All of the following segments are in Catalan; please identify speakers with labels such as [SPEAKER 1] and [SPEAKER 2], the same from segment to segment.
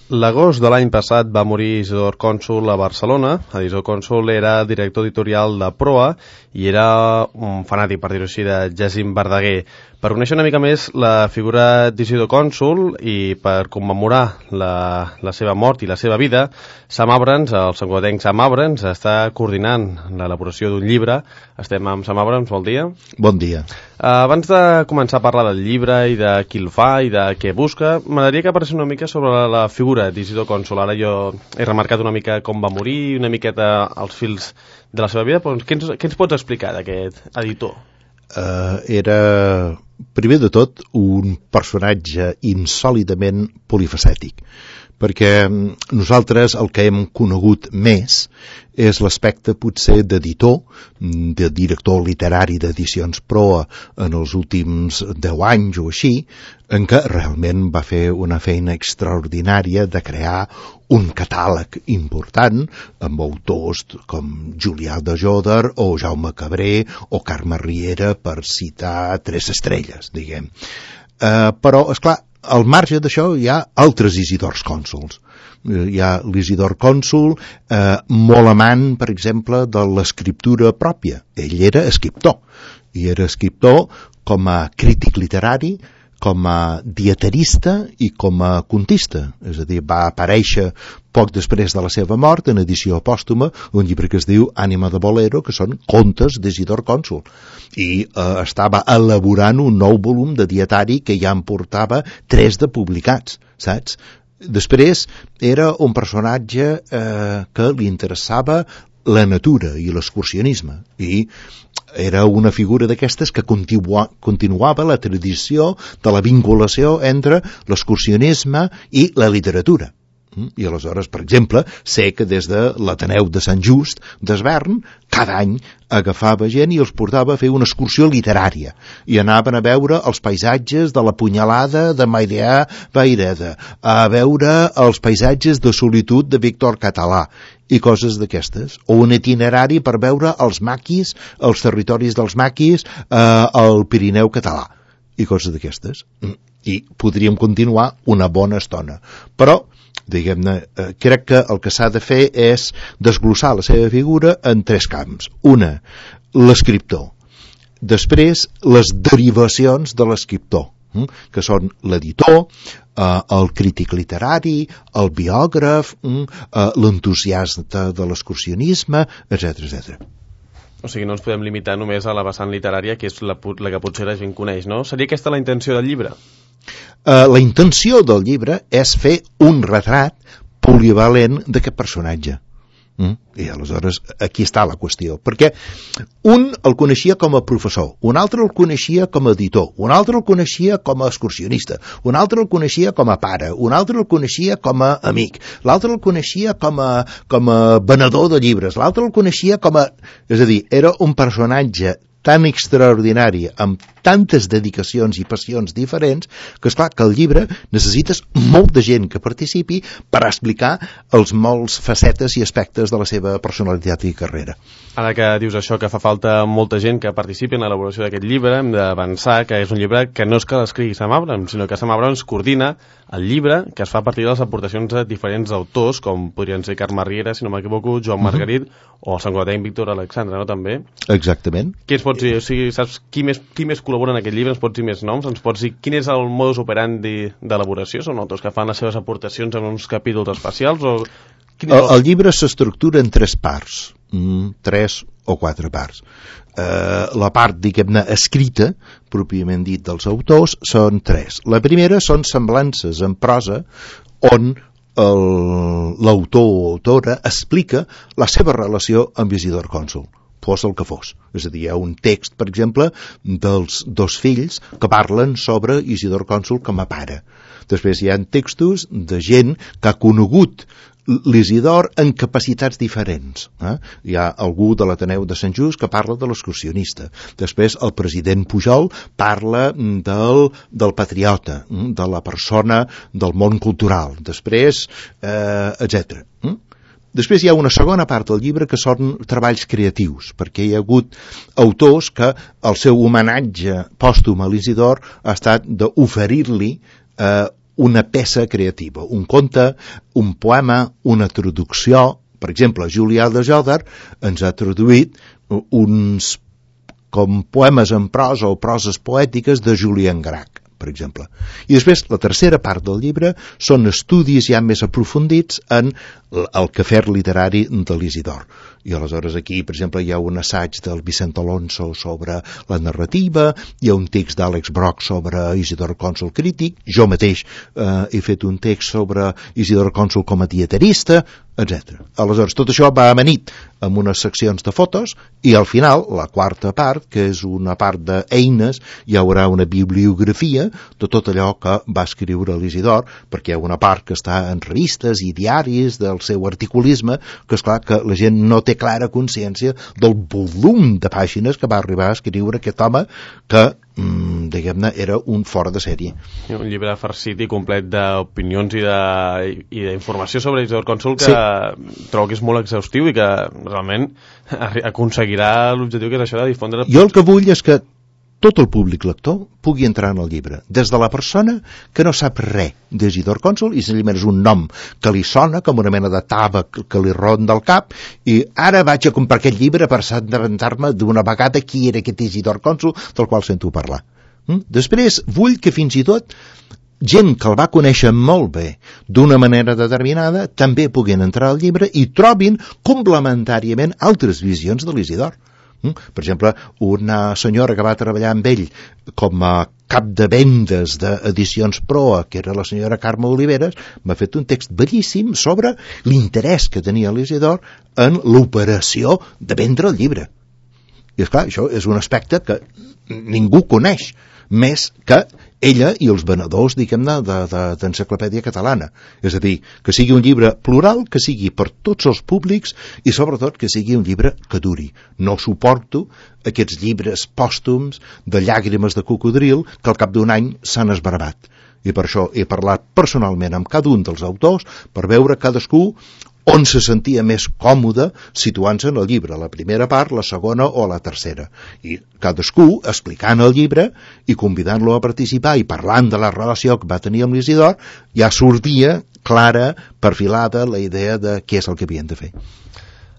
[SPEAKER 1] L'agost de l'any passat va morir Isidor Cònsul a Barcelona. Isidor Cònsul era director editorial de Proa i era un fanàtic, per dir-ho així, de Jacint Verdaguer. Per conèixer una mica més la figura d'Isidor Cònsul i per commemorar la seva mort i la seva vida, Sam Abrams, el santcugatenc Sam Abrams, està coordinant l'elaboració d'un llibre. Estem amb Sam Abrams, bon dia.
[SPEAKER 2] Bon dia.
[SPEAKER 1] Abans de començar a parlar del llibre i de qui el fa i de què busca, m'agradaria que parlés una mica sobre la figura d'Isidor Cònsul. Ara jo he remarcat una mica com va morir, una miqueta els fils de la seva vida, però què ens pots explicar d'aquest editor?
[SPEAKER 2] Era, primer de tot, un personatge insòlitament polifacètic, perquè nosaltres el que hem conegut més és l'aspecte potser d'editor, de director literari d'edicions Proa en els últims 10 anys o així, en què realment va fer una feina extraordinària de crear un catàleg important amb autors com Julià de Jòdar o Jaume Cabré o Carme Riera, per citar 3 estrelles, diguem. Però, esclar, al marge d'això hi ha altres Isidors Cònsuls. Hi ha l'Isidor Cònsul, molt amant, per exemple, de l'escriptura pròpia. Ell era escriptor, i era escriptor com a crític literari, com a dietarista i com a contista. És a dir, va aparèixer poc després de la seva mort, en edició pòstuma, un llibre que es diu Ànima de Bolero, que són contes d'Isidor Cònsul. I estava elaborant un nou volum de dietari que ja en portava 3 de publicats, saps? Després era un personatge que li interessava la natura i l'excursionisme, i era una figura d'aquestes que continuava la tradició de la vinculació entre l'excursionisme i la literatura. I aleshores, per exemple, sé que des de l'Ateneu de Sant Just d'Esvern, cada any agafava gent i els portava a fer una excursió literària i anaven a veure els paisatges de la Punyalada de Mairià Vaireda, a veure els paisatges de solitud de Víctor Català i coses d'aquestes, o un itinerari per veure els maquis, els territoris dels maquis al Pirineu català i coses d'aquestes. I podríem continuar una bona estona, però diguem-ne, crec que el que s'ha de fer és desglossar la seva figura en 3 camps. Una, l'escriptor. Després, les derivacions de l'escriptor, que són l'editor, el crític literari, el biògraf, l'entusiasta de l'excursionisme, etc.
[SPEAKER 1] O sigui, no ens podem limitar només a la vessant literària, que és la que potser la gent coneix, no? Seria aquesta la intenció del llibre?
[SPEAKER 2] La intenció del llibre és fer un retrat polivalent d'aquest personatge. I aleshores aquí està la qüestió, perquè un el coneixia com a professor, un altre el coneixia com a editor, un altre el coneixia com a excursionista, un altre el coneixia com a pare, un altre el coneixia com a amic, l'altre el coneixia com a venedor de llibres, l'altre el coneixia com a... És a dir, era un personatge tan extraordinari, amb tantes dedicacions i passions diferents, que esclar que el llibre necessites molta gent que participi per explicar els molts facetes i aspectes de la seva personalitat i carrera.
[SPEAKER 1] Ara que dius això, que fa falta molta gent que participi en l'elaboració d'aquest llibre, hem d'avançar que és un llibre que no és que l'escrigui Sam Abrams, sinó que Sam Abrams coordina el llibre, que es fa a partir de les aportacions de diferents autors, com podrien ser Carme Riera, si no m'equivoco, Joan Margarit, o el santcugatenc Víctor Alexandre, no, també?
[SPEAKER 2] Exactament.
[SPEAKER 1] Què ens pots dir? O sigui, saps qui més col·labora en aquest llibre? Ens pots dir més noms? Ens pots dir quin és el modus operandi d'elaboració? Són autors que fan les seves aportacions en uns capítols especials? O...
[SPEAKER 2] El llibre s'estructura en 3 parts, 3 o 4 parts. La part, diguem-ne, escrita, pròpiament dit, dels autors, són 3. La primera són semblances en prosa, on l'autor o autora explica la seva relació amb Isidor Cònsul, fos el que fos. És a dir, hi ha un text, per exemple, dels 2 fills que parlen sobre Isidor Cònsul com a pare. Després hi ha textos de gent que ha conegut l'Isidor en capacitats diferents. Hi ha algú de l'Ateneu de Sant Just que parla de l'excursionista. Després el president Pujol parla del patriota, de la persona del món cultural. Després, etc. Després hi ha una segona part del llibre que són treballs creatius, perquè hi ha hagut autors que el seu homenatge pòstum a l'Isidor ha estat d'oferir-li una peça creativa, un conte, un poema, una traducció. Per exemple, Julià de Jòdar ens ha traduït uns com poemes en prosa o proses poètiques de Julián Grach, per exemple. I després, la tercera part del llibre són estudis ja més aprofundits en el quefer literari de l'Isidor. I aleshores aquí, per exemple, hi ha un assaig del Vicent Alonso sobre la narrativa, hi ha un text d'Àlex Broch sobre Isidor Cònsol crític, jo mateix he fet un text sobre Isidor Cònsol com a dieterista, etc. Aleshores, tot això va amanit amb unes seccions de fotos i al final, la quarta part, que és una part d'eines, hi haurà una bibliografia de tot allò que va escriure l'Isidor, perquè hi ha una part que està en revistes i diaris del seu articulisme, que és clar que la gent no té clara consciència del volum de pàgines que va arribar a escriure aquest home que, diguem-ne, era un fora de sèrie.
[SPEAKER 1] Un llibre farcit i complet d'opinions i d'informació sobre Isidor Cònsol que trobo que és molt exhaustiu i que realment aconseguirà l'objectiu que és això de difondre...
[SPEAKER 2] Jo el que vull és que tot el públic lector pugui entrar en el llibre, des de la persona que no sap res d'Isidor Cònsol i senzillament és un nom que li sona com una mena de taba que li ronda al cap i ara vaig a comprar aquest llibre per assabentar-me d'una vegada qui era aquest Isidor Cònsol del qual sento parlar. Després vull que fins i tot gent que el va conèixer molt bé d'una manera determinada també puguin entrar al llibre i trobin complementàriament altres visions de l'Isidor. Per exemple, una senyora que va treballar amb ell com a cap de vendes d'edicions Proa, que era la senyora Carme Oliveres, m'ha fet un text bellíssim sobre l'interès que tenia l'Isidor en l'operació de vendre el llibre. I esclar, això és un aspecte que ningú coneix, més que ella i els venedors, diguem-ne, d'enciclopèdia catalana. És a dir, que sigui un llibre plural, que sigui per tots els públics i sobretot que sigui un llibre que duri. No suporto aquests llibres pòstums de llàgrimes de cocodril que al cap d'un any s'han esbarbat. I per això he parlat personalment amb cada un dels autors per veure cadascú on se sentia més còmode situant-se en el llibre, la primera part, la segona o la tercera. I cadascú explicant el llibre i convidant-lo a participar i parlant de la relació que va tenir amb l'Isidor, ja sortia clara, perfilada, la idea de què és el que havien de fer.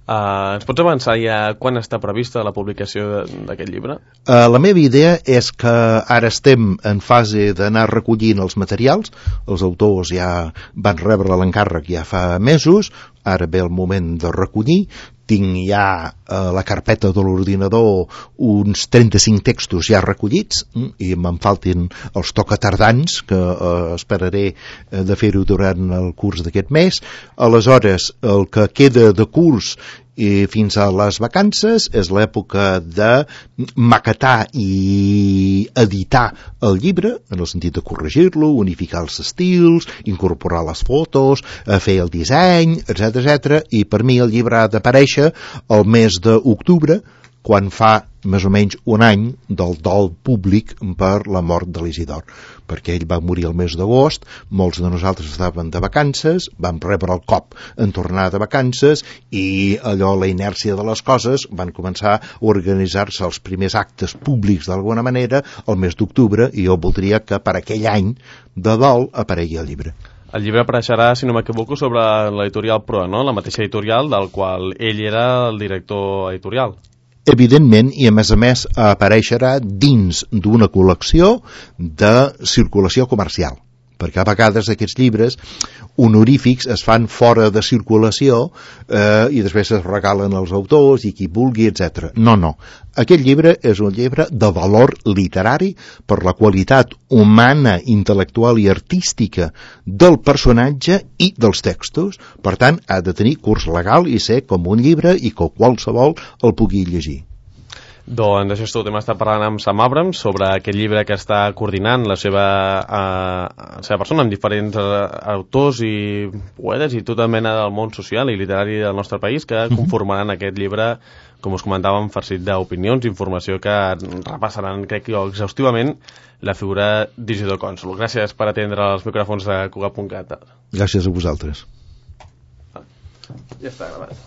[SPEAKER 1] Ens pots avançar ja quan està prevista la publicació d'aquest llibre?
[SPEAKER 2] La meva idea és que ara estem en fase d'anar recollint els materials, els autors ja van rebre l'encàrrec ja fa mesos, ara ve el moment de recollir, tinc ja a la carpeta de l'ordinador uns 35 textos ja recollits i me'n faltin els tocatardans que esperaré de fer-ho durant el curs d'aquest mes. Aleshores, el que queda de curs i fins a les vacances és l'època de maquetar i editar el llibre, en el sentit de corregir-lo, unificar els estils, incorporar les fotos, fer el disseny, etc. I per mi el llibre ha d'aparèixer el mes d'octubre, quan fa més o menys un any del dol públic per la mort de l'Isidor, perquè ell va morir el mes d'agost, molts de nosaltres estaven de vacances, vam rebre el cop en tornar de vacances i allò, la inèrcia de les coses, van començar a organitzar-se els primers actes públics d'alguna manera el mes d'octubre i jo voldria que per aquell any de dol aparegui el llibre.
[SPEAKER 1] El llibre apareixerà, si no m'equivoco, sobre l'editorial Proa, no? La mateixa editorial del qual ell era el director editorial.
[SPEAKER 2] Evidentment, i a més apareixerà dins d'una col·lecció de circulació comercial, perquè a vegades aquests llibres honorífics es fan fora de circulació i després es regalen als autors i qui vulgui, etc. No. Aquest llibre és un llibre de valor literari per la qualitat humana, intel·lectual i artística del personatge i dels textos. Per tant, ha de tenir curs legal i ser com un llibre i que qualsevol el pugui llegir.
[SPEAKER 1] Doncs això és tot. Hem estat parlant amb Sam Abrams sobre aquest llibre que està coordinant la seva persona amb diferents autors i poetes i tota mena del món social i literari del nostre país que conformaran aquest llibre, com us comentàvem, farcit d'opinions i informació que repassaran, crec jo, exhaustivament la figura d'Isidor Cònsol. Gràcies per atendre els micròfons de Cugat.cat.
[SPEAKER 2] Gràcies a vosaltres.
[SPEAKER 1] Ja està gravat.